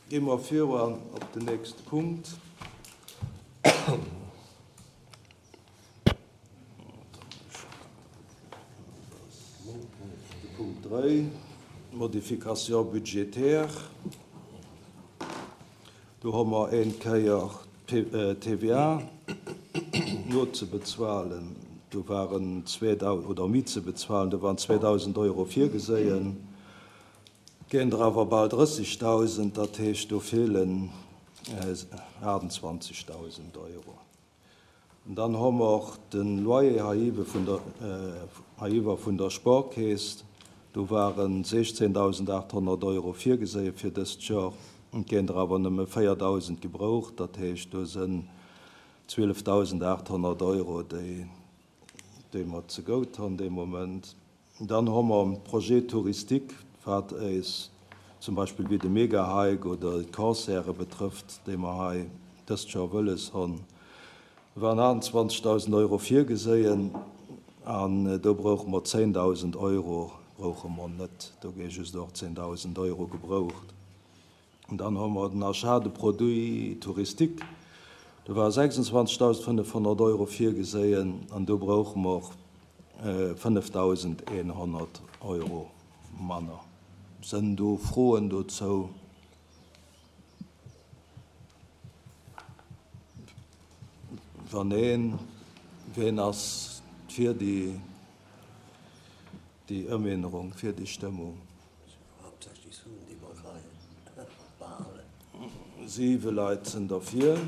Gi mer viru op den nächste Punkt. De Punkt 3, Modification budgétaire. Do hu mer een Kéier d'TVA nozebezualen. Do waren oder méi ze bezualen, do waren 2.000 Euro virgeséien. Et ginn der awer bal 30.000, dat heescht do feelen 28.000 Euro. An dann hu mer och de Loyer heiiwwe vun der, heiiwwer vun der Sportkeess. Do ware 16.800 Euro virgeséie fir dëst Joer. Et ginn der awer nëmme 4.000 gebraucht, dat heescht do sënn 12.800 Euro, déi, déi mer zegout hunn dee Moment. Dann hu mer en Projet touristique, wat éis zum Beispill wéi de Megahike oder d'Concerte betrëfft, déi mer hei dëst Joer wëlles hunn. Do waren 28.000 Euro virgeséien an do brouche mer 10.000 Euro, brouche mer net, do gi just och 10.000 Euro gebraucht. An dann hu mer den Achat de produits touristiques, do ware 26.500 Euro virgeséien an do brauche mer 5.100 Euro manner. Sënn do Froen dozou? Wann neen, ween ass fir déi Ëmännerung, fir déi Stëmmung? Siwe Leit sinn derfir.